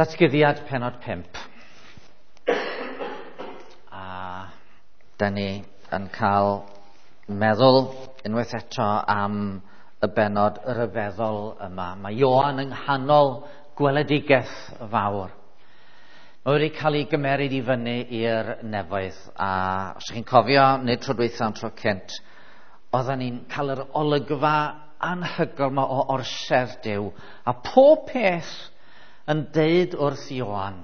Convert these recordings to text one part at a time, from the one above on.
Datguddiad pennod 5. A da ni yn cael meddwl unwaith eto am y bennod ryfeddol yma. Mae Ioan yng nghanol gweledigaeth fawr. Mae wedi cael ei gymeryd i fyny i'r nefoedd, a os ydych chi'n cofio, nid tro dwytha ond tro cynt, oedden ni'n cael yr olygfa anhygoel yma o orsedd Duw, a pob peth yn deud wrth Ioan,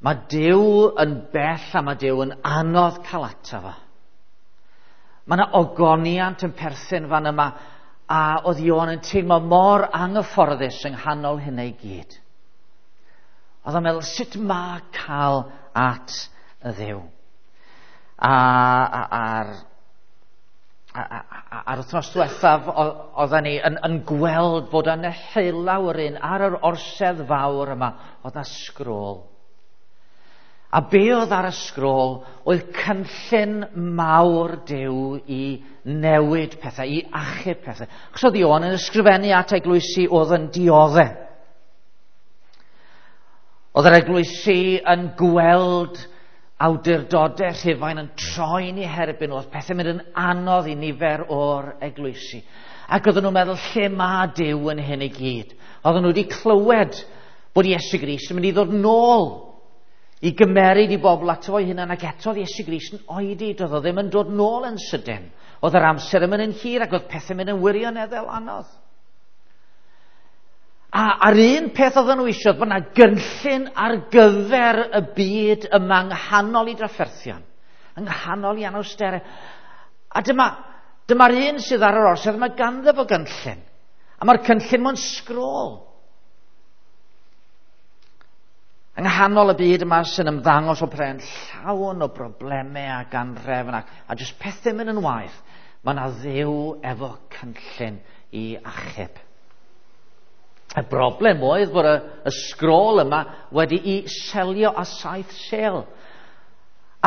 mae Duw yn bell a mae Duw yn anodd cael ato fo. Mae yna ogoniant yn perthyn fan yma, a oedd Ioan yn teimlo mor anghyfforddus yng nghanol hynna i gyd. Oedd o'n meddwl, sut mae cael at y Dduw? A'r wythnos diwethaf, oedden ni yn gweld bod yna heulaw yr un ar yr orsedd fawr yma, oedd yna sgrôl. A be oedd ar y sgrôl oedd cynllun mawr Duw i newid pethau, i achub pethau. Achos oedd Ioan yn ysgrifennu at eglwysi oedd yn diodde. Oedd yr eglwysi yn gweld awdurdodau Rhufain yn troi'n eu herbyn, oedd pethau'n mynd yn anodd i nifer o'r eglwysi. Ac oedden nhw'n meddwl, lle mae Duw yn hyn i gyd? Oedden nhw wedi clywed bod Iesu Grist yn mynd i ddod nôl i gymeryd i bobl ato fo'i hunan, ac eto oedd Iesu Grist yn oedi, doedd o ddim yn dod nôl yn sydyn. Oedd yr amser yn mynd yn hir ac oedd pethau'n mynd yn wirioneddol anodd. A a'r un peth oedden nhw eisiau, bod yna gynllun ar gyfer y byd yma yng nghanol i drafferthion, yng nghanol i anawsterau. A dyma'r un sydd ar yr orsedd, mae ganddo fo gynllun. A mae'r cynllun mewn sgrôl. Yng nghanol y byd yma sy'n ymddangos o pren llawn o broblemau ac anhrefn a jyst pethau mynd yn waeth, mae yna Dduw efo cynllun i achub. Y broblem oedd bod y sgrôl yma wedi'i selio â 7 sêl.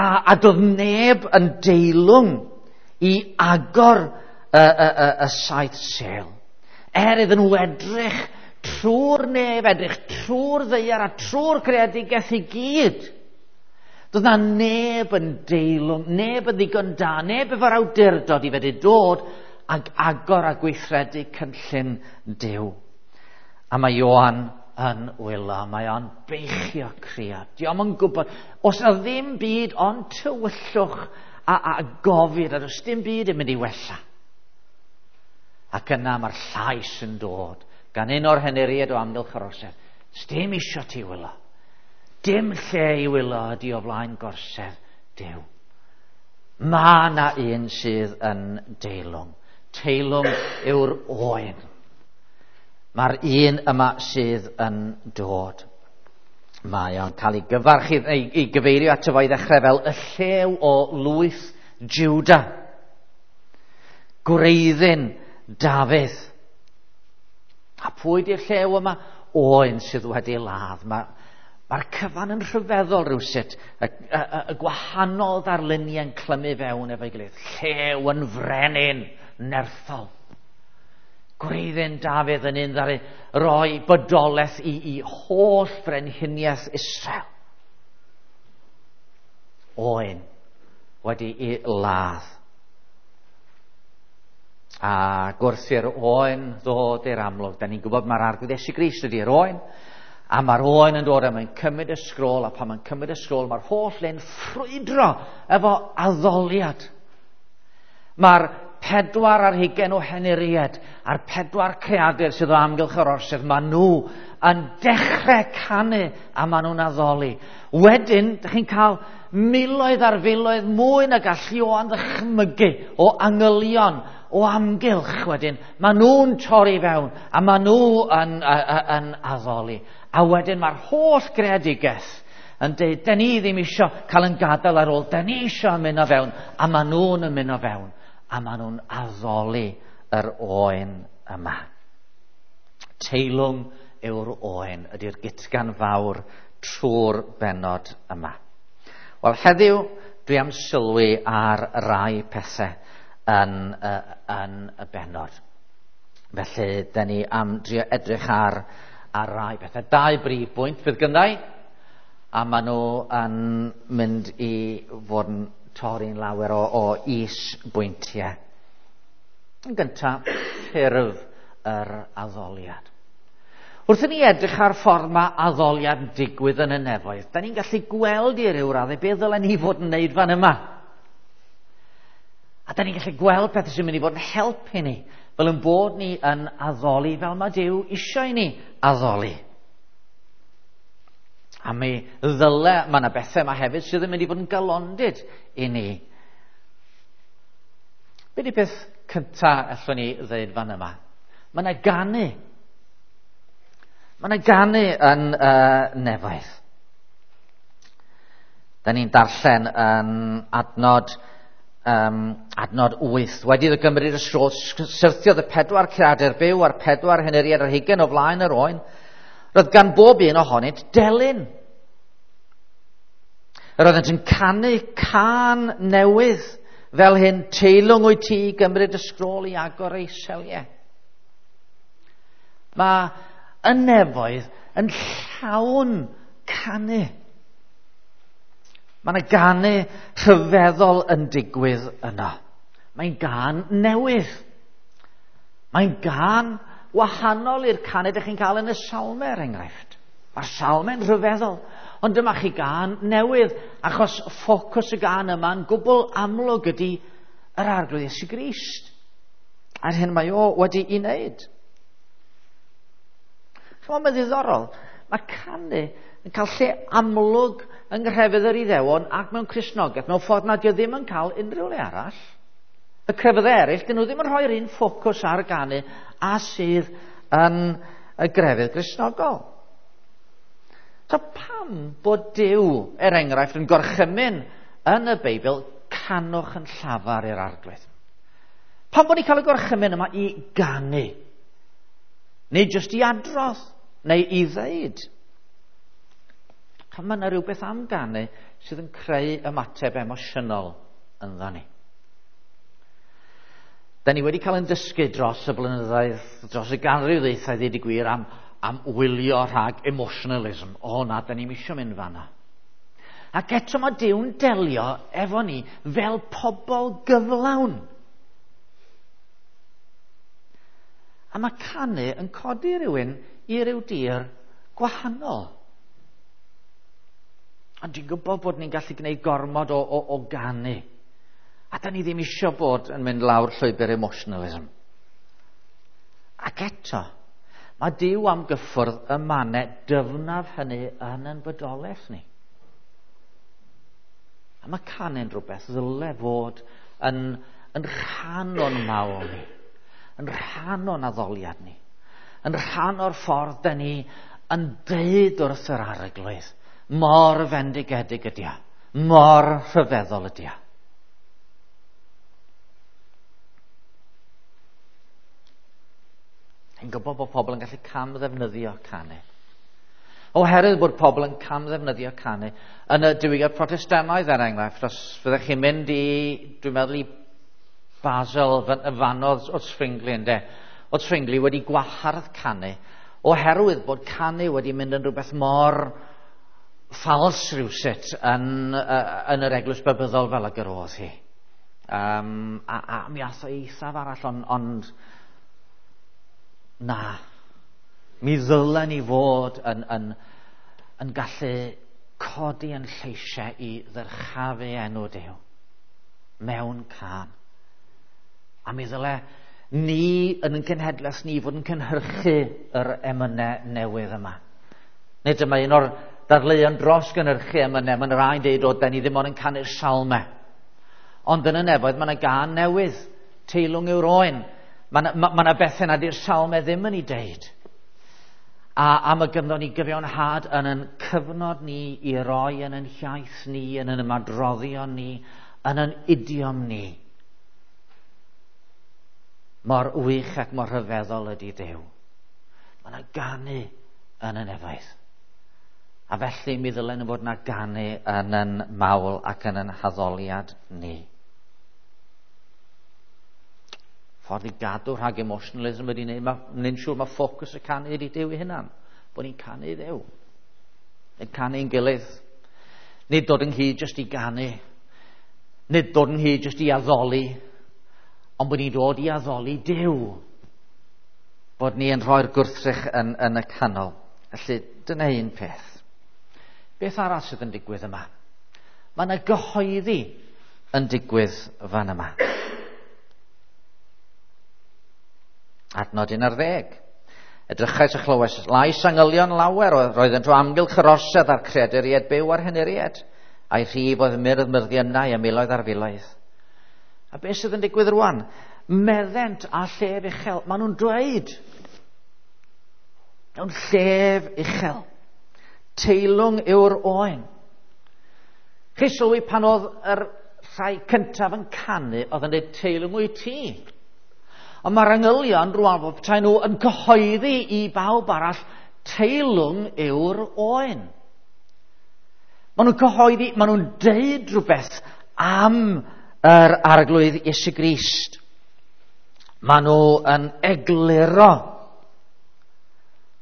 A doedd neb yn deilwng i agor y 7 sêl. Er iddyn nhw edrych trwy'r nef, edrych trwy'r ddaear a trwy'r greadigaeth i gyd. Doedd na neb yn deilwng, neb yn ddigon da, neb efo'r awdurdod i fedru dod ag agor a gweithredu cynllun Duw. A mae Ioan yn wylo, mae o'n beichio crio. Dio'm yn gwybod, oes na ddim byd ond tywyllwch a gofid, a does dim byd yn mynd i wella. Ac yna mae'r llais yn dod gan un o'r henuriaid o amgylch yr orsedd. Sdim isio ti wylo. Dim lle i wylo ydi o flaen gorsedd Duw. Mae na un sydd yn deilwng. Teilwng yw'r oen. Mae'r un yma sydd yn dod. Mae o'n cael ei gyfarch, ei gyfeirio ato fo i ddechrau fel y llew o lwyth Juda. Gwreiddyn Dafydd. A pwy di'r llew yma? Oen sydd wedi ladd. Mae'r cyfan yn rhyfeddol rhywsut. Y gwahanol ddarluniau'n clymu fewn efo'i gilydd. Llew yn frenin nerthol. Gwreiddyn Dafydd yn un ddaru roi bodolaeth i holl frenhiniaeth Israel. Oen wedi ei ladd. A gwrth i'r oen ddod i'r amlwg, da ni'n gwybod mae'r Arglwydd Iesu Grist ydy'r oen, a mae'r oen yn dod a mae'n cymryd y sgrôl, a pan mae'n cymryd y sgrôl, mae'r holl le'n ffrwydro efo addoliad. Mae'r 24 o henuriaid a'r 4 creadur sydd o amgylch yr orsedd, maen nhw yn dechrau canu a maen nhw'n addoli. Wedyn, dych chi'n cael miloedd ar filoedd mwy na gall Ioan ddychmygu o angylion o amgylch wedyn. Maen nhw'n torri fewn a maen nhw yn addoli. A wedyn mae'r holl greadigaeth yn dweud, da ni ddim isio cael yn gadael ar ôl, da ni isio ymuno fewn, a maen nhw'n ymuno fewn. A maen nhw'n addoli yr oen yma. Teilwng yw'r oen ydy'r gutgan fawr trwy'r bennod yma. Wel, heddiw dwi am sylwi ar rai pethau yn y bennod. Felly, da ni am drio edrych ar ar rai bethau. Dau brif bwynt fydd gynnau, a maen nhw yn mynd i fod yn torri'n lawer o is-bwyntiau. Yn gyntaf, ffurf yr addoliad. Wrth i ni edrych ar ffordd mae addoliad yn digwydd yn y nefoedd, da ni'n gallu gweld i ryw raddau beth ddylen ni fod yn neud fan yma. A da ni'n gallu gweld pethau sy'n mynd i fod yn helpu ni, fel yn bod ni yn addoli fel mae Duw eisiau i ni addoli. A mi ddyle, mae yna bethau yma hefyd sydd yn mynd i fod yn galondid i ni. Be di peth cyntaf allwn ni ddeud fan yma? Mae yna ganu. Mae yna ganu yn nefoedd. Da ni'n darllen yn adnod 8. Wedi iddo gymryd y sgro, syrthiodd y 4 creadur byw a'r 4 henuriad ar hugain o flaen yr oen. Roedd gan bob un ohonynt delyn. Yr oeddent yn canu cân newydd fel hyn, teilwng wyt ti i gymryd y sgrôl i agor ei seliau. Mae y nefoedd yn llawn canu. Mae yna ganu rhyfeddol yn digwydd yno. Mae'n gân newydd. Mae'n gân wahanol i'r canu ydych chi'n cael yn y salmau, er enghraifft. Mae'r salmau'n rhyfeddol, ond dyma chi gân newydd, achos ffocws y gân yma'n gwbl amlwg ydy yr Arglwydd Iesu Grist. A'r hyn mae o wedi'i wneud. Chymod, mae'n ddiddorol. Mae canu yn cael lle amlwg yng nghrefydd yr Iddewon ac mewn Cristnogaeth, mewn ffordd nad yw ddim yn cael unrhyw le arall. Y crefyddau eraill, dyn nhw ddim yn rhoi'r un ffocws ar ganu a sydd yn y grefydd Gristnogol. So pam bod Duw, er enghraifft, yn gorchymyn yn y Beibl, canwch yn llafar i'r Arglwydd? Pam bod ni'n cael y gorchymyn yma i ganu? Neu jyst i adrodd, neu i ddeud? Mae yna rhywbeth am ganu sydd yn creu ymateb emosiynol ynddo ni. Da ni wedi cael ein dysgu dros y blynyddoedd, dros y ganrif ddwytha, i ddweud y gwir, am wylio rhag emotionalism. O na, da ni'm isio mynd fanna. Ac eto mae Duw'n delio efo ni fel pobl gyflawn. A mae canu yn codi rhywun i ryw dir gwahanol. Ond dwi'n gwybod bod ni'n gallu gwneud gormod o ganu. A da ni ddim isio bod yn mynd lawr llwybr emotionalism. Ac eto, mae Duw am gyffwrdd y mannau dyfnaf hynny yn ein bodolaeth ni. A mae canu'n rhywbeth ddyle fod yn rhan o'n mawl ni, yn rhan o'n addoliad ni, yn rhan o'r ffordd da ni yn deud wrth yr Arglwydd, mor fendigedig ydi o, mor rhyfeddol ydi o. Yn gwybod bod pobl yn gallu camddefnyddio canu. Oherwydd bod pobl yn camddefnyddio canu yn y diwygiad Protestannaidd, er enghraifft, os fyddech chi'n mynd i, dwi'n meddwl i Basel, y fanodd o Zwingli, ynde? Oedd Zwingli wedi gwahardd canu, oherwydd bod canu wedi mynd yn rhywbeth mor ffals rhywsut yn yr eglwys Babyddol fel ag yr oedd hi. A mi ath o eithaf arall, ond na, mi ddylen ni fod yn gallu codi yn lleisiau i ddyrchafu enw Duw mewn cân. A mi ddyle ni yn ein cenhedlaeth ni fod yn cynhyrchu yr emynau newydd yma. Nid dyma un o'r dadleuon dros gynhyrchu emynau, mae'n rhaid deud o, da ni ddim ond yn canu'r salmau. Ond yn y nefoedd mae yna gân newydd, teilwng yw'r oen. Mae yna bethau nad yw'r salmau ddim yn ei deud. A mae ganddo ni gyfiawnhad yn ein cyfnod ni i roi yn ein hiaith ni, yn ein ymadroddion ni, yn ein idiom ni. Mor wych ac mor rhyfeddol ydy Duw. Mae yna ganu yn y nefoedd. A felly mi ddylen fod yna ganu yn ein mawl ac yn ein haddoliad ni. Ffordd i gadw rhag emotionalism ydy wneud, mae'n siŵr mae ffocws y canu ydy Duw ei hunan. Bod ni'n canu i Dduw. Yn canu'n gilydd. Nid dod ynghyd jyst i ganu. Nid dod ynghyd jyst i addoli. Ond bod ni'n dod i addoli Duw. Bod ni yn rhoi'r gwrthrych yn y canol. Felly, dyna un peth. Beth arall sydd yn digwydd yma? Mae yna gyhoeddi yn digwydd fan yma. Adnod 11. Edrychais a chlywais lais angylion lawer, roeddent o amgylch yr orsedd a'r creaduriaid byw a'r henuriaid, a'i rhif oedd myrdd myrddiynau a miloedd ar filoedd. A beth sydd yn digwydd rwan? Meddent a llef uchel. Maen nhw'n dweud mewn llef uchel. Teilwng yw'r oen. Chi sylwi pan oedd yr rhai cyntaf yn canu, oedd yn dweud teilwng wyt ti. Ond mae'r angylion rwan fel petai nhw yn cyhoeddi i bawb arall, teilwng yw'r oen. Maen nhw'n cyhoeddi, maen nhw'n deud rhywbeth am yr Arglwydd Iesu Grist. Maen nhw yn egluro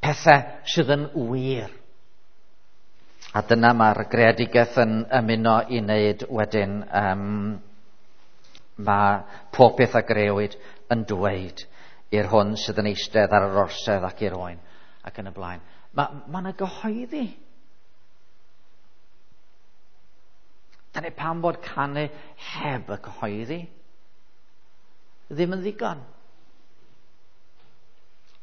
pethau sydd yn wir. A dyna mae'r greadigaeth yn ymuno i wneud wedyn. Mae pob peth a grëwyd yn dweud i'r hwn sydd yn eistedd ar yr orsedd ac i'r oen ac yn y blaen. Mae yna gyhoeddi. Dyna pam bod canu heb y cyhoeddi ddim yn ddigon.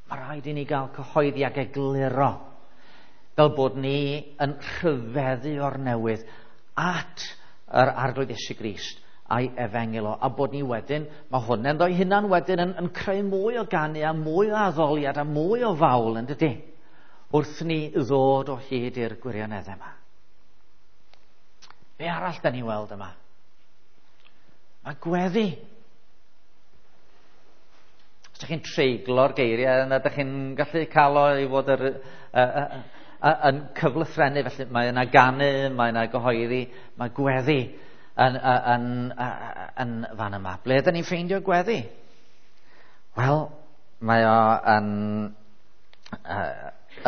Mae rhaid i ni gael cyhoeddi ac egluro fel bod ni yn rhyfeddu o'r newydd at yr Arglwydd Iesu Grist a'i efengyl o, a bod ni wedyn, mae hwn ynddo'i hunan wedyn yn creu mwy o ganu a mwy o addoliad a mwy o fawl, yn dydy, wrth ni ddod o hyd i'r gwirioneddau yma. Be arall da ni weld yma? Mae gweddi. Os ydych chi'n treiglo'r geiriau yna, ydych chi'n gallu cael o i fod yn cyflythrennu, felly mae yna ganu, mae yna gyhoeddi, mae gweddi yn fan yma. Ble ydyn ni'n ffeindio gweddi? Wel, mae o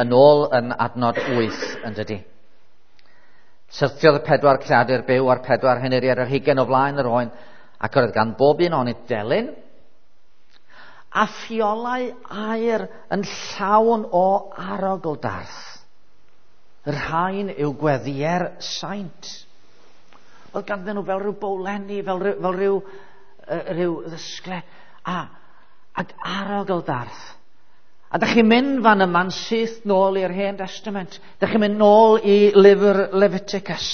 yn ôl yn adnod 8, yn dydy. Syrthiodd y 4 creadur byw a'r 4 henuriad ar hugain o flaen yr oen, ac oedd gan bob un ohonynt delyn, a ffiolau aer yn llawn o arogl darth. Y rhain yw gweddïau'r saint. Oedd ganddyn nhw fel rhyw bowlenni, fel rhyw ddysgle, ac arogl darth. A dych chi'n mynd fan yma'n syth nôl i'r Hen Testament. Dych chi'n mynd nôl i lyfr Leviticus.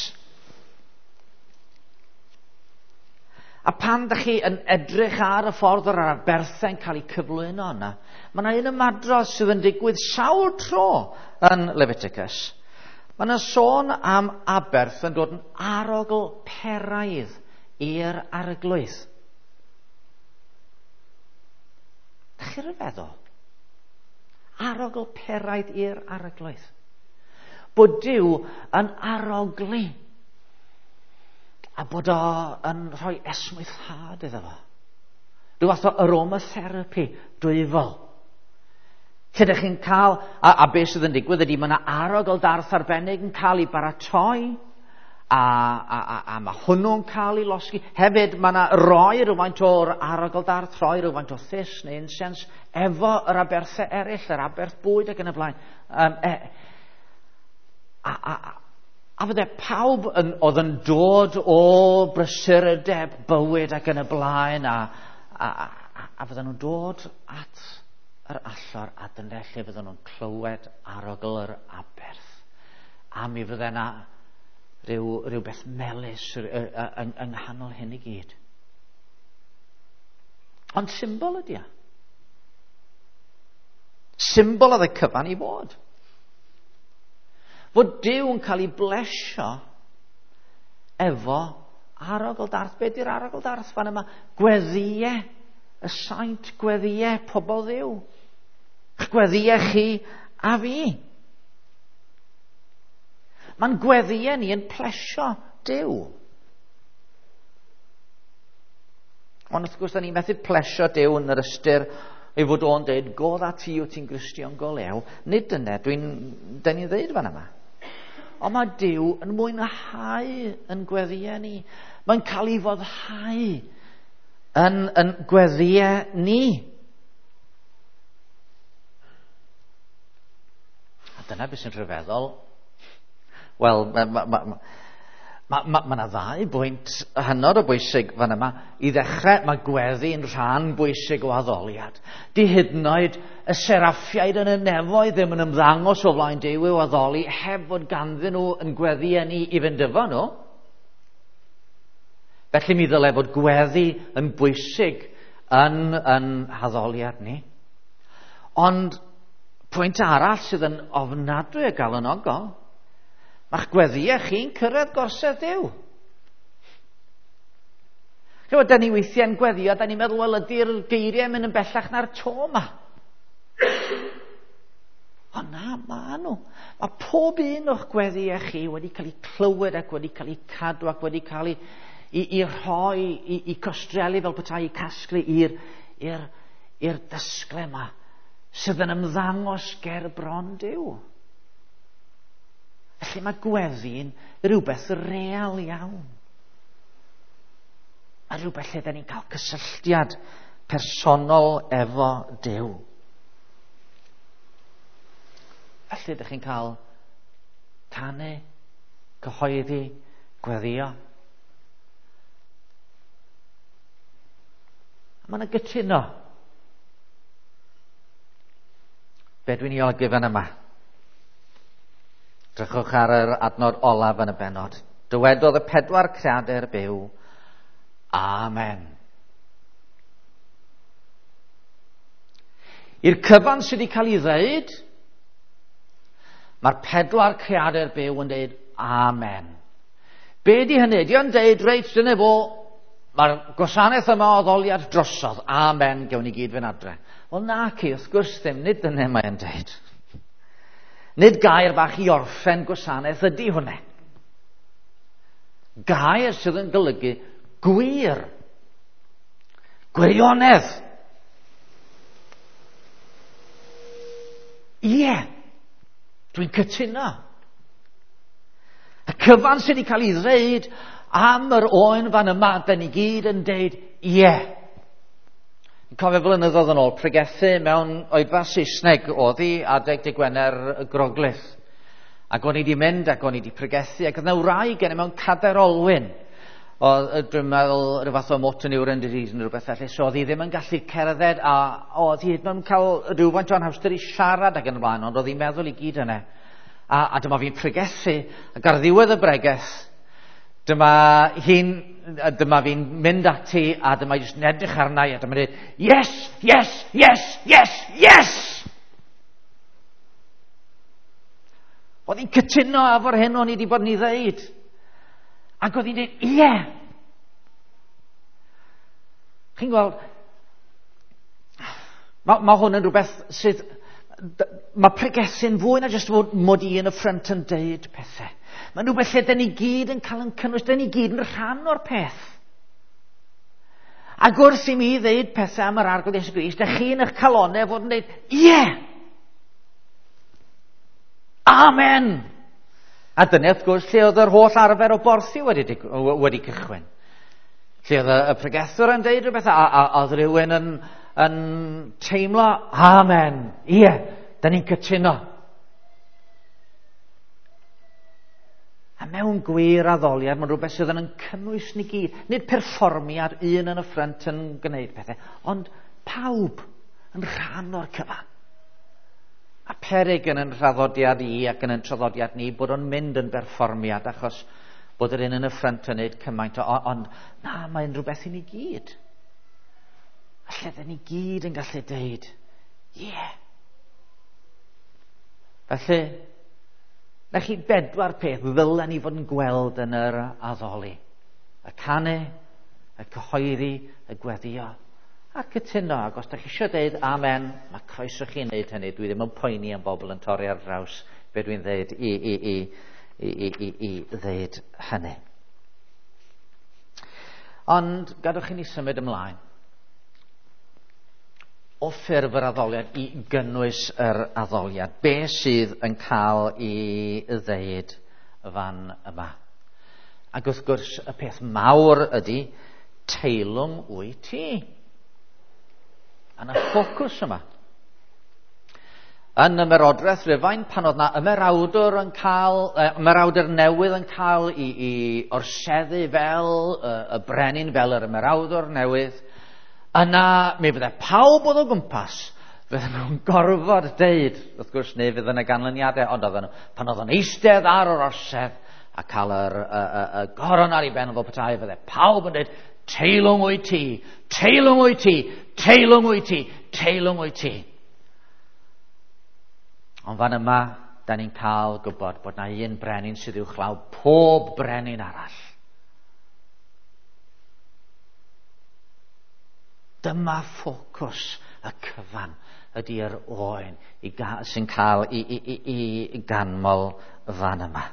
A pan dych chi yn edrych ar y ffordd o'r aberthau'n cael eu cyflwyno yna, mae yna un ymadrodd sydd yn digwydd sawl tro yn Leviticus. Mae yna sôn am aberth yn dod yn arogl peraidd i'r Arglwydd. Dych chi'n rhyfeddol? Arogl peraidd i'r Arglwydd. Bod Duw yn arogli a bod o yn rhoi esmwythâd iddo fo. Rhyw fath o aromatherapy dwyfol. Lle ydych chi'n cael, a beth sydd yn digwydd ydy mae yna arogl darth arbennig yn cael ei baratoi, a mae hwnnw'n cael ei losgi. Hefyd mae yna roi rhywfaint o'r arogl darth, rhoi rhywfaint o thus neu incense efo yr aberthau eraill, yr aberth bwyd ac yn y blaen. A fydde pawb oedd yn dod o brysurdeb bywyd ac yn y blaen, a fydden nhw'n dod at yr allor, a dyna lle fydden nhw'n clywed arogl yr aberth. A mi fydde yna rhywbeth melys yng nghanol hyn i gyd. Ond symbol ydy o. Symbol oedd y cyfan i fod. Fod Duw yn cael ei blesio efo arogl darth. Be di'r arogl darth fan yma? Gweddïau, y saint, gweddïau pobl Dduw. Gweddïau chi a fi. Mae'n gweddïau ni yn plesio Duw. Ond wrth gwrs, da ni'n methu plesio Duw yn yr ystyr ei fod o'n deud, go dda ti o ti'n Gristion go lew. Nid dyna, dwi'n, dyn ni'n ddeud fan yma. Ond mae Duw yn mwynhau yn gweddïau ni. Mae'n cael ei foddhau yn gweddïau ni. A dyna beth sy'n rhyfeddol. Wel, mae ma yna ddau bwynt hynod o bwysig fan yma. I ddechrau, mae gweddi'n rhan bwysig o addoliad. Di hyd yn oed y seraffiaid yn y nefoedd ddim yn ymddangos o flaen Duw i'w addoli heb fod ganddyn nhw yn gweddi ni i fynd efo nhw. Felly mi ddylai fod gweddi yn bwysig yn haddoliad ni. Ond pwynt arall sydd yn ofnadwy o galonogol, mae'ch gweddïau chi'n cyrraedd gorsedd Duw. Chymod, da ni weithiau'n gweddio, da ni'n meddwl, wel, ydy'r geiriau mynd yn bellach na'r to yma? Ond na, ma nhw. Mae pob un o'ch gweddïau chi wedi cael eu clywed ac wedi cael eu cadw ac wedi cael eu rhoi, i costrelu fel petai, i casglu i'r dysgle yma sydd yn ymddangos ger bron Duw. Felly mae gweddi'n rhywbeth real iawn. A rhywbeth lle da ni'n cael cysylltiad personol efo Duw. Felly ydych chi'n cael canu, cyhoeddi, gweddio. A mae yna gytuno. Be dwi'n ei olygu fan yma? Drychwch ar yr adnod olaf yn y bennod. Dywedodd y pedwar creadur byw, Amen. I'r cyfan sydd wedi cael ei ddeud, mae'r pedwar creadur byw yn deud Amen. Be di hynny? Di o'n deud, reit, dyna fo, mae'r gwasanaeth yma o addoliad drosodd. Amen, gewn ni gyd fynd adre. Wel na ci, wrth gwrs ddim, nid dyna mae'n deud. Nid gair bach i orffen gwasanaeth ydy hwnna. Gair sydd yn golygu gwir. Gwirionedd. Ie, dwi'n cytuno. Y cyfan sydd wedi cael ei ddeud am yr oen fan yma, da ni gyd yn deud ie. Yn cofio blynyddoedd yn ôl, pregethu mewn oedfa Saesneg oedd hi adeg dydd Gwener y Groglith. Ac o'n i wedi mynd ac o'n i wedi pregethu, ac oedd yna wraig gen i mewn cadair olwyn. Oedd, dwi'n meddwl, rhyw fath o motor neuron disease neu rhywbeth felly, so oedd hi ddim yn gallu cerdded, a oedd hi ddim yn cael rhywfaint o anhawster i siarad ac yn y blaen, ond oedd hi'n meddwl i gyd yna. A dyma fi'n pregethu, ac ar ddiwedd y bregeth, dyma fi'n mynd ati, a dyma jyst yn edrych arna i, a dyma'n dweud, yes, yes, yes, yes, yes! Oedd hi'n cytuno efo'r hyn o'n i wedi bod yn ei ddeud. Ac oedd hi'n dweud, ie! Chi'n gweld, mae hwn yn rhywbeth sydd... Mae pregethu'n fwy na jyst fod mod i yn y ffrynt yn deud pethau. Mae'n rhywbeth lle dyn ni gyd yn cael yn cynnwys, dyn ni gyd yn rhan o'r peth. Ac wrth i mi ddeud pethau am yr Arglwydd Iesu Grist, dych chi'n eich calonau fod yn deud, ie! Amen! A dyna wrth gwrs lle oedd yr holl arfer o borthi wedi cychwyn. Lle oedd y pregethwr yn deud rhywbeth, a oedd rhywun yn teimlo, amen, ie, da ni'n cytuno. A mewn gwir addoliad, mae'n rhywbeth sydd yn cynnwys ni gyd. Nid perfformiad un yn y ffrynt yn gwneud pethau, ond pawb yn rhan o'r cyfan. A peryg yn yn traddodiad i ac yn yn traddodiad ni bod o'n mynd yn berfformiad achos bod yr un yn y ffrynt yn gwneud cymaint, ond na, mae'n rhywbeth i ni gyd. A lle dyn ni gyd yn gallu deud, ie. Yeah. Felly, na chi bedwar peth ddylen ni fod yn gweld yn yr addoli. Y canu, y cyhoeddi, y gweddio, a'r cytuno. Ac os da chi eisiau deud amen, mae croeso chi wneud hynny. Dwi ddim yn poeni am bobl yn torri ar draws be dwi'n ddeud i ddeud hynny. Ond gadwch i ni symud ymlaen. o ffurf yr addoliad i gynnwys yr addoliad. Be sydd yn cael ei ddeud fan yma? Ac wrth gwrs, y peth mawr ydy, teilwng wyt ti. Yna ffocws yma. Yn ymerodraeth Rufain, pan oedd na ymerawdwr yn cael, ymerawdwr newydd yn cael i orseddu fel y brenin, fel yr ymerawdwr newydd, yna mi fydde pawb oedd o gwmpas, fydden nhw'n gorfod deud, wrth gwrs, neu fydd yna ganlyniadau, ond oedden nhw, pan oedd o'n eistedd ar yr orsedd a cael y goron ar ei ben fel petai, fydde pawb yn deud, teilwng wyt ti, teilwng wyt ti, teilwng wyt ti, teilwng wyt ti. Ond fan yma, da ni'n cael gwybod bod na un brenin sydd uwchlaw pob brenin arall. Dyma ffocws y cyfan ydy'r oen sy'n cael i ganmol fan yma.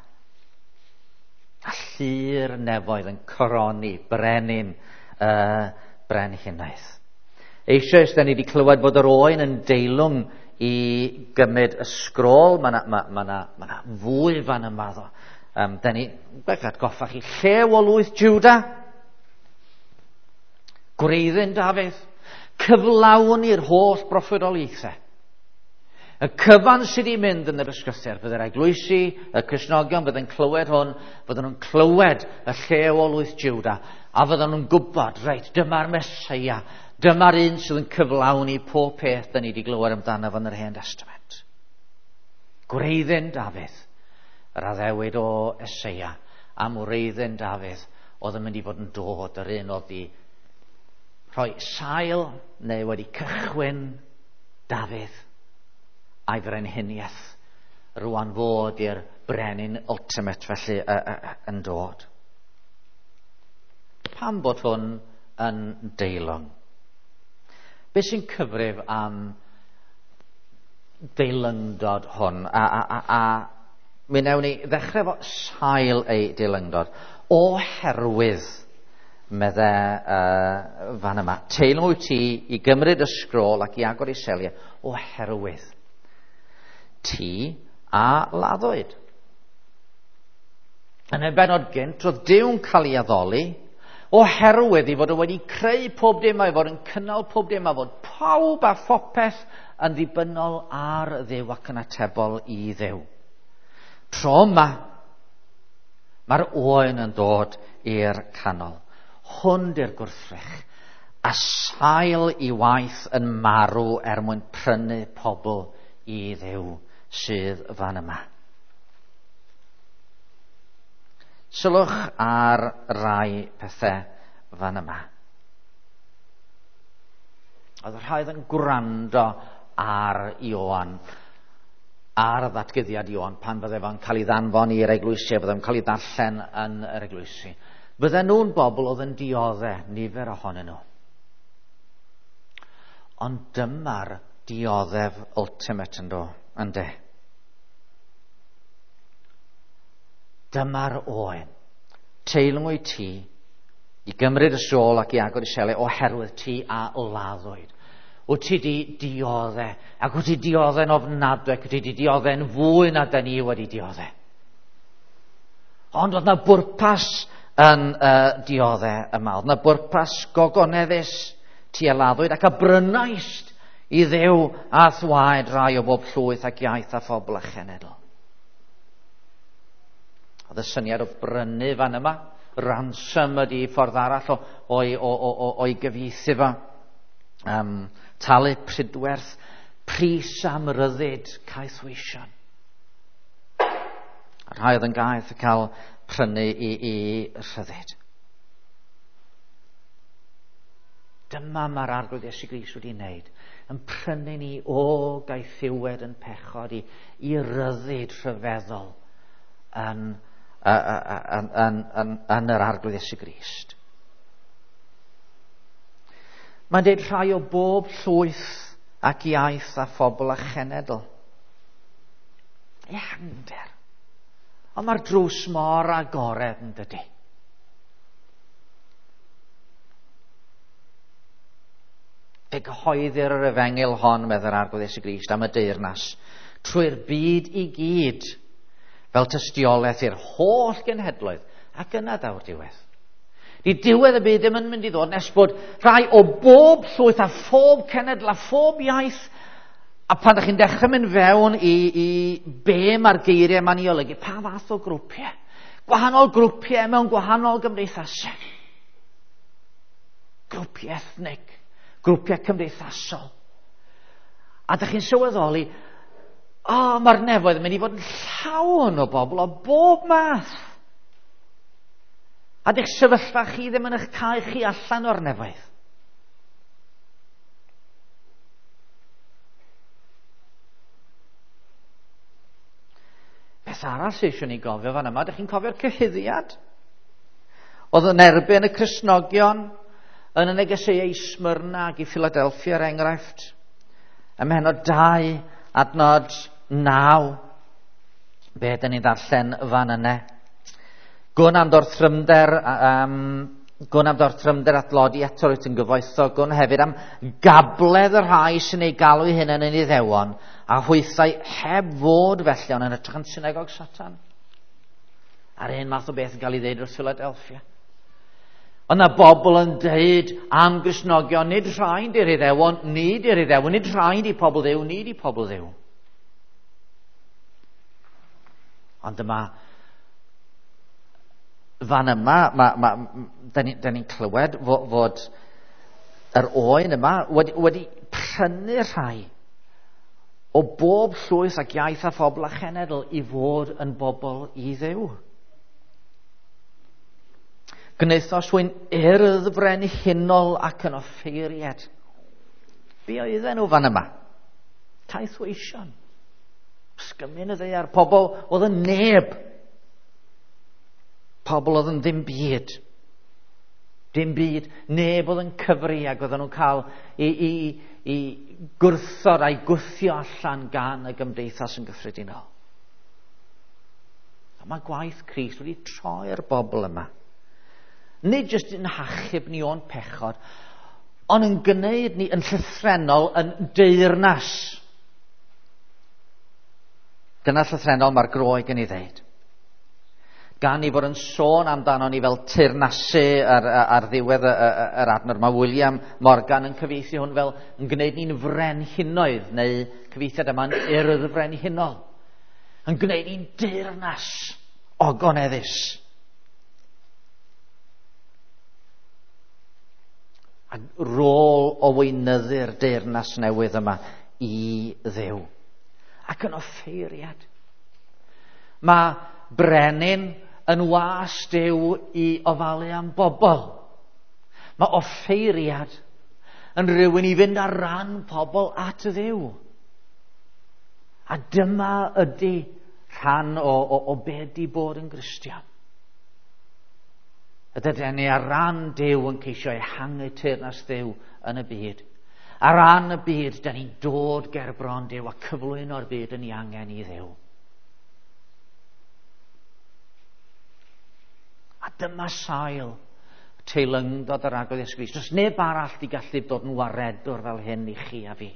A llu'r nefoedd yn coroni brenin y brenhinaeth. Eisoes, da ni wedi clywed bod yr oen yn deilwng i gymryd y sgrôl. Mae yna fwy fan yma ddo. Da ni, gwych atgoffa chi, llew o lwyth Juda, gwreiddyn Dafydd, cyflawni'r holl broffwydoliaethau. Y cyfan sydd wedi mynd yn yr ysgrythur, fydde'r eglwysi, y Cristnogion fydde'n clywed hwn, fydden nhw'n clywed y llew o lwyth Juda, a fydden nhw'n gwybod, reit, dyma'r Meseia, dyma'r un sydd yn cyflawni pob peth da ni wedi glywed amdano fo yn yr Hen Testament. Gwreiddyn Dafydd, yr addewid o Eseia, am wreiddyn Dafydd, oedd yn mynd i fod yn dod, yr un oedd wedi rhoi sail neu wedi cychwyn Dafydd a'i frenhiniaeth rwan fod i'r brenin ultimate felly yn dod. Pam bod hwn yn deilwng? Be sy'n cyfrif am deilyngdod hwn? A mi wnawn ni ddechrau efo sail ei deilyngdod. Oherwydd, medde fan yma, teilwng wyt ti i gymryd y sgrôl ac i agor ei seliau, oherwydd ti a laddwyd. Yn y bennod gynt, roedd Duw'n cael ei addoli oherwydd ei fod o wedi creu pob dim, a'i fod yn cynnal pob dim, a fod pawb a phopeth yn ddibynnol ar Dduw ac yn atebol i Dduw. Tro yma, mae'r oen yn dod i'r canol. Hwn di'r gwrthrych, a sail i waith yn marw er mwyn prynu pobl i Dduw sydd fan yma. Sylwch ar rai pethau fan yma. Oedd y rhai oedd yn gwrando ar Ioan, ar ddatguddiad Ioan, pan fydde fo'n cael ei ddanfon i'r eglwysi, fydde fo'n cael ei ddarllen yn yr eglwysi. Fydden nhw'n bobl oedd yn diodde, nifer ohonyn nhw. Ond dyma'r dioddef ultimate yn do, ynde. Dyma'r oen. Teilwng wyt ti i gymryd y sôl ac i agor i seliau oherwydd ti a laddwyd. Wyt ti di diodde, ac wyt ti diodde'n ofnadwy, ac wyt ti di diodde'n fwy na da ni wedi diodde. Ond oedd na bwrpas yn diodde yma. Oedd na bwrpas gogoneddus, ti a laddwyd ac a brynaist i Dduw a thwaed rai o bob llwyth ac iaith a phobl a chenedl. Oedd y syniad o brynu fan yma, ransom ydi ffordd arall o'i gyfieithu fo. Talu pridwerth, pris am ryddid caethweision. A rhai oedd yn gaeth y cael prynu i rhyddid. Dyma mae'r Arglwydd Iesu Grist wedi wneud, yn prynu ni o gaethiwed yn pechod i ryddid rhyfeddol yn yr Arglwydd Iesu Grist. Mae'n deud rhai o bob llwyth ac iaith a phobl a chenedl. Ehangder. Ond mae'r drws mor agored yn dydi. Fe gyhoeddir yr efengyl hon, meddai'r Arglwydd Iesu Grist, am y deyrnas, trwy'r byd i gyd, fel tystiolaeth i'r holl genhedloedd, ac yna daw'r diwedd. Di diwedd y byd ddim yn mynd i ddod nes bod rhai o bob llwyth a phob cenedl a phob iaith, a pan ydych chi'n dechrau mynd fewn i be mae'r geiriau yma'n ei olygu, pa fath o grwpiau? Gwahanol grwpiau mewn gwahanol gymdeithasau. Grwpiau ethnig, grwpiau cymdeithasol. A ydych chi'n sylweddoli, mae'r nefoedd yn mynd i fod yn llawn o bobl o bob math. A dych sefyllfa chi ddim yn eich cael chi allan o'r nefoedd. Beth arall sydd eisiau ni gofio fan yma, ydych chi'n cofio'r cyhuddiad? Oedd yn erbyn y Cristnogion yn y negeseuau i Smyrna ac i Philadelphia, er enghraifft. Ym mhennod 2, adnod 9. Be ydyn ni'n ddarllen fan yna? Gwn am dorthrymder, gwn am dorthrymder at lodi eto rwyt yn gyfoethog, gwn hefyd am gabledd y rhai sy'n ei galw eu hunain yn Iddewon, a hwythau heb fod felly ond yn hytrach yn synagog Satan. A'r un math o beth yn cael ei ddeud wrth Philadelphia. Ond na bobl yn deud am Gristnogion, nid rhaid i'r Iddewon, nid i'r Iddewon, nid rhaid i pobl Dduw, nid i pobl Dduw. Ond dyma, fan yma, da ni'n clywed fod yr oen yma wedi prynu rhai o bob llwyth ac iaith a phobl a chenedl i fod yn bobl i Dduw. Gwnaethos hwy'n urdd frenhinol ac yn offeiriad. Be oedden nhw fan yma? Caethweision. Sgymyn y ddaear. Pobl oedd yn neb. Pobl oedd yn ddim byd. Dim byd. Neb oedd yn cyfri ac oedden nhw'n cael i gwrthod a'i gwthio allan gan y gymdeithas yn gyffredinol. A mae gwaith Crist wedi troi'r bobl yma. Nid jyst yn hachub ni o'n pechod, ond yn gwneud ni yn llythrennol yn deyrnas. Dyna llythrennol mae'r Groeg yn ei ddeud. Gan i fod yn sôn amdano ni fel teyrnasu ar ddiwedd yr adnod. Mae William Morgan yn cyfieithu hwn fel yn gwneud ni'n frenhinoedd, neu cyfieithiad yma'n urdd frenhinol. Yn gwneud ni'n deyrnas ogoneddus. A rôl o weinyddu'r deyrnas newydd yma i Dduw. Ac yn offeiriad. Mae brenin yn was Duw i ofalu am bobl. Mae offeiriad yn rhywun i fynd ar ran pobl at Dduw. A dyma ydy rhan o be di bod yn Gristion. Ydyn ni ar ran Duw yn ceisio ehangu teyrnas Dduw yn y byd. Ar ran y byd, da ni'n dod ger bron Duw a cyflwyno'r byd yn ei angen i Dduw. A dyma sail teilyngdod yr Arglwydd Iesu Grist. Does neb arall di gallu dod yn waredwr fel hyn i chi a fi.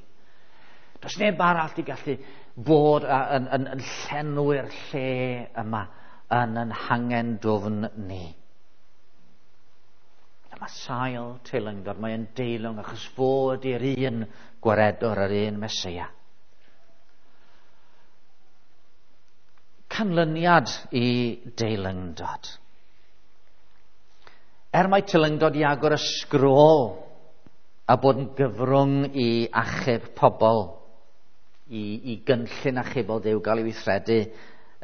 Does neb arall di gallu bod yn llenwi'r lle yma yn hangen dwfn ni. Dyma sail teilyngdod, mae'n deilwng achos fod i'r un gwaredwr, yr un Meseia. Canlyniad i deilyngdod. Er mae teilyngdod i agor y sgrôl a bod yn gyfrwng i achub pobl, i gynllun achubol Duw gael ei weithredu,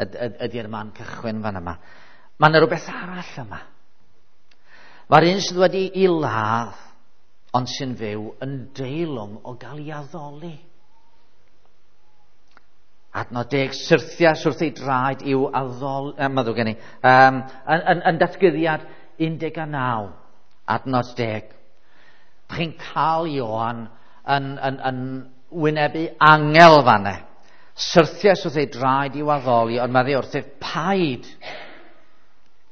ydy'r man cychwyn fan yma. Mae yna rhywbeth arall yma. Mae'r un sydd wedi ei ladd, ond sy'n fyw, yn deilwng o gael ei addoli. Adnod 10, syrthias wrth ei draed i'w addoli, meddwl gen i, yn datguddiad 19, adnod 10. Chi'n cael Ioan yn wynebu angel fanne. Syrthias wrth ei draed i'w addoli, ond mae wrth ei paid.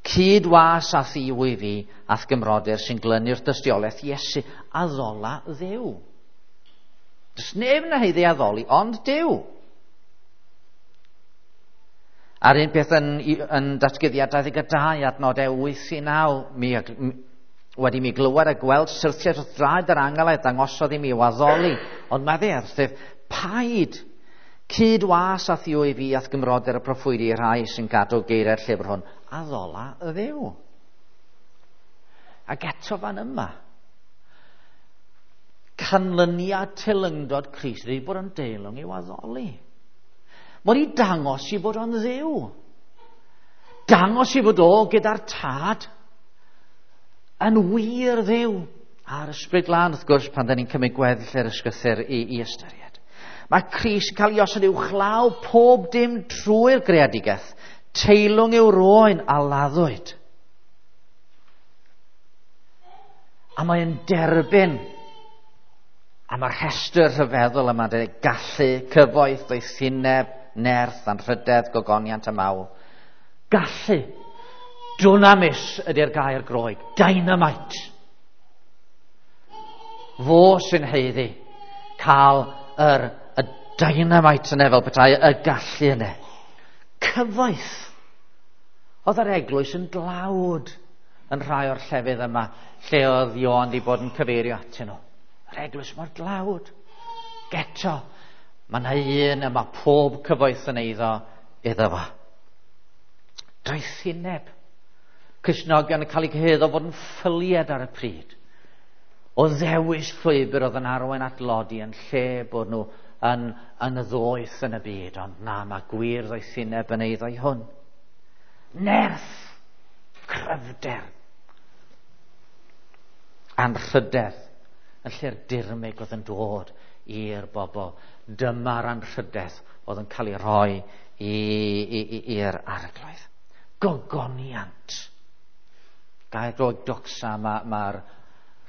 Cyd-was a thi wy fi, a'th gymrodyr sy'n glynu'r dystiolaeth Iesu, addola Dduw. Does neb yn haeddu addoli, ond Duw. A'r un peth yn Datguddiad 22, adnodau 8 i 9, wedi mi glywed a gweld syrthiad wrth draed yr angel a dangosodd i mi i'w addoli, ond medde wrthyf, paid cyd was a thiw i fi a'th gymrodyr y proffwydi i'r rhai sy'n cadw geiriau'r llyfr hwn, addola y Dduw. Ac eto fan yma, canlyniad teilyngdod Crist ydy bod yn deilwng i'w addoli. Mae wedi dangos i fod o'n Dduw. Dangos i fod o gyda'r Tad yn wir Dduw. A'r Ysbryd Glân, wrth gwrs, pan da ni'n cymryd gweddill yr ysgrythur i ystyried. Mae Crist yn cael ei osod uwchlaw pob dim trwy'r greadigaeth. Teilwng yw'r oen a laddwyd. A mae'n derbyn. A mae'r rhestr rhyfeddol yma, dweud, gallu, cyfoeth, doethineb, nerth, anrhydedd, gogoniant a mawl. Gallu. Dunamis ydy'r gair Groeg. Dynamite. Fo sy'n haeddu cael y dynamite yna fel petai, y gallu yna. Cyfoeth. Oedd yr eglwys yn dlawd yn rhai o'r llefydd yma lle oedd Ioan wedi bod yn cyfeirio atyn nhw. Yr eglwys mor dlawd. Geto, mae yna un y mae pob cyfoeth yn eiddo iddo fo. Doethineb. Cristnogion yn cael eu cyhuddo fod yn ffyliad ar y pryd. O ddewis llwybr oedd yn arwain at lodi yn lle bod nhw yn y ddoeth yn y byd. Ond na, mae gwir ddoethineb yn eiddo i hwn. Nerth, cryfder, anrhydedd, yn lle'r dirmyg oedd yn dod i'r bobl. Dyma'r anrhydedd oedd yn cael ei rhoi i'r Arglwydd. Gogoniant. Gair Groeg doxa, mae'r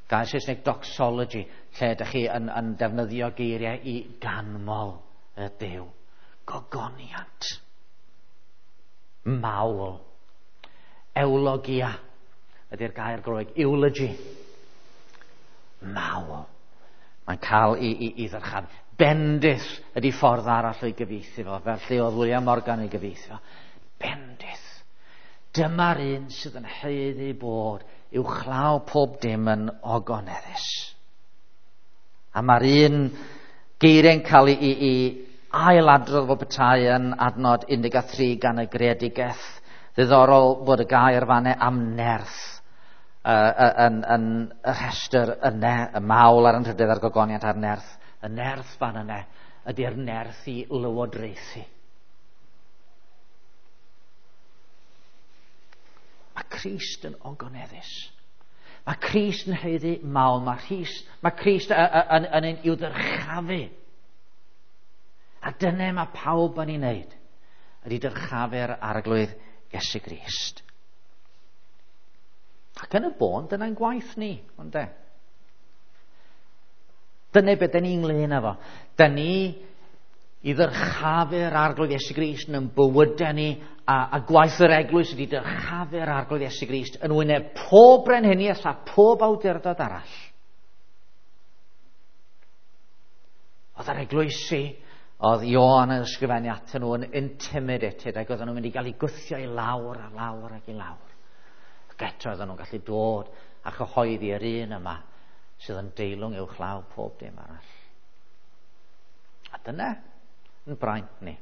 gair Saesneg doxology, lle ydych chi yn defnyddio geiriau i ganmol y Duw. Gogoniant. Mawl. Eulogia ydy'r gair Groeg. Eulogy. Mawl. Mae'n cael i ddyrchafu. Bendith ydy ffordd arall o'i gyfieithu fo, fel lle oedd William Morgan ei gyfieithu fo. Bendith. Dyma'r un sydd yn haeddu bod uwchlaw pob dim yn ogoneddus. A mae'r un geiriau'n cael ei ailadrodd fel petai yn adnod 13 gan y greadigaeth. Ddiddorol bod y gair fanne am nerth yn y rhestr yne, y mawl a'r anrhydedd a'r gogoniant a'r nerth. Y nerth fan yne ydy'r nerth i lywodraethu. Mae Crist yn ogoneddus. Mae Crist yn haeddu mawl. Mae Crist yn ein i'w ddyrchafu. A dyna mae pawb yn ei wneud, ydy dyrchafu'r Arglwydd Iesu Grist. Ac yn y bôn, dyna'n gwaith ni, onde? Dyna beth dyn ni ynglyn â fo. Dyn ni i ddyrchafu'r Arglwydd Iesu Grist yn bywydau ni, a gwaith yr eglwys ydy dyrchafu'r Arglwydd Iesu Grist yn wyneb pob brenhiniaeth a pob awdurdod arall. Oedd yr eglwysi, oedd Ioan yn ysgrifennu atyn nhw yn intimidated, ac oedden nhw'n mynd i gael eu gwthio i lawr a lawr ac i lawr. Ac eto oedden nhw'n gallu dod a chyhoeddi yr un yma sydd yn deilwng uwchlaw pob dim arall. A dyna yn braint ni.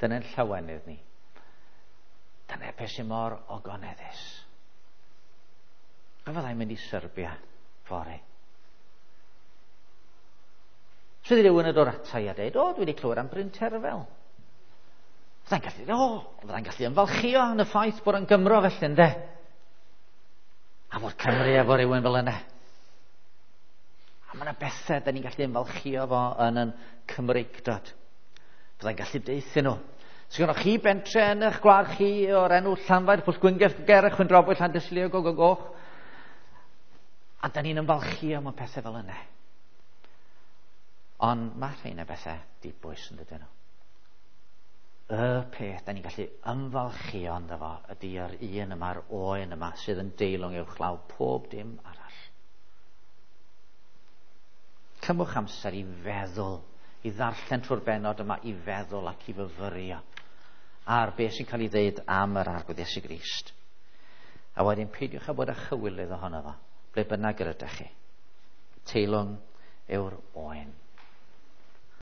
Dyna'n llawenydd ni. Dyna beth sy'n mor ogoneddus. A fyddai'n mynd i Serbia fory. Sydd rhywun yn dod ata i a dweud, o, dwi wedi clywed am Bryn Terfel. Fyddai'n gallu ymfalchio yn y ffaith bod yn Gymro felly, ynde? A fod Cymru efo rhywun fel yna. A mae yna bethau da ni'n gallu ymfalchio fo yn yn Cymreictod. Fyddai'n gallu deuthu nhw. Sgynnoch chi bentre yn eich gwlad chi o'r enw Llanfair, Pwllgwyngyll, Gerech, Chwyndrobwy, Llandyslio, go, go, goch. A da ni'n ymfalchio mewn pethau fel yna. Ond mae rhain o bethau dibwys yn dydyn nhw. Y peth da ni'n gallu ymfalchio ynddo fo ydy yr un yma'r oen yma sydd yn deilwng uwchlaw pob dim arall. Cymwch amser i feddwl, i ddarllen trwy'r benod yma, i feddwl ac i fyfyrio ar beth sy'n cael ei ddeud am yr Arglwydd Iesu Grist. A wedyn peidiwch â bod â chywilydd ohono fo, ble bynnag yr ydych chi. Teilwng yw'r oen.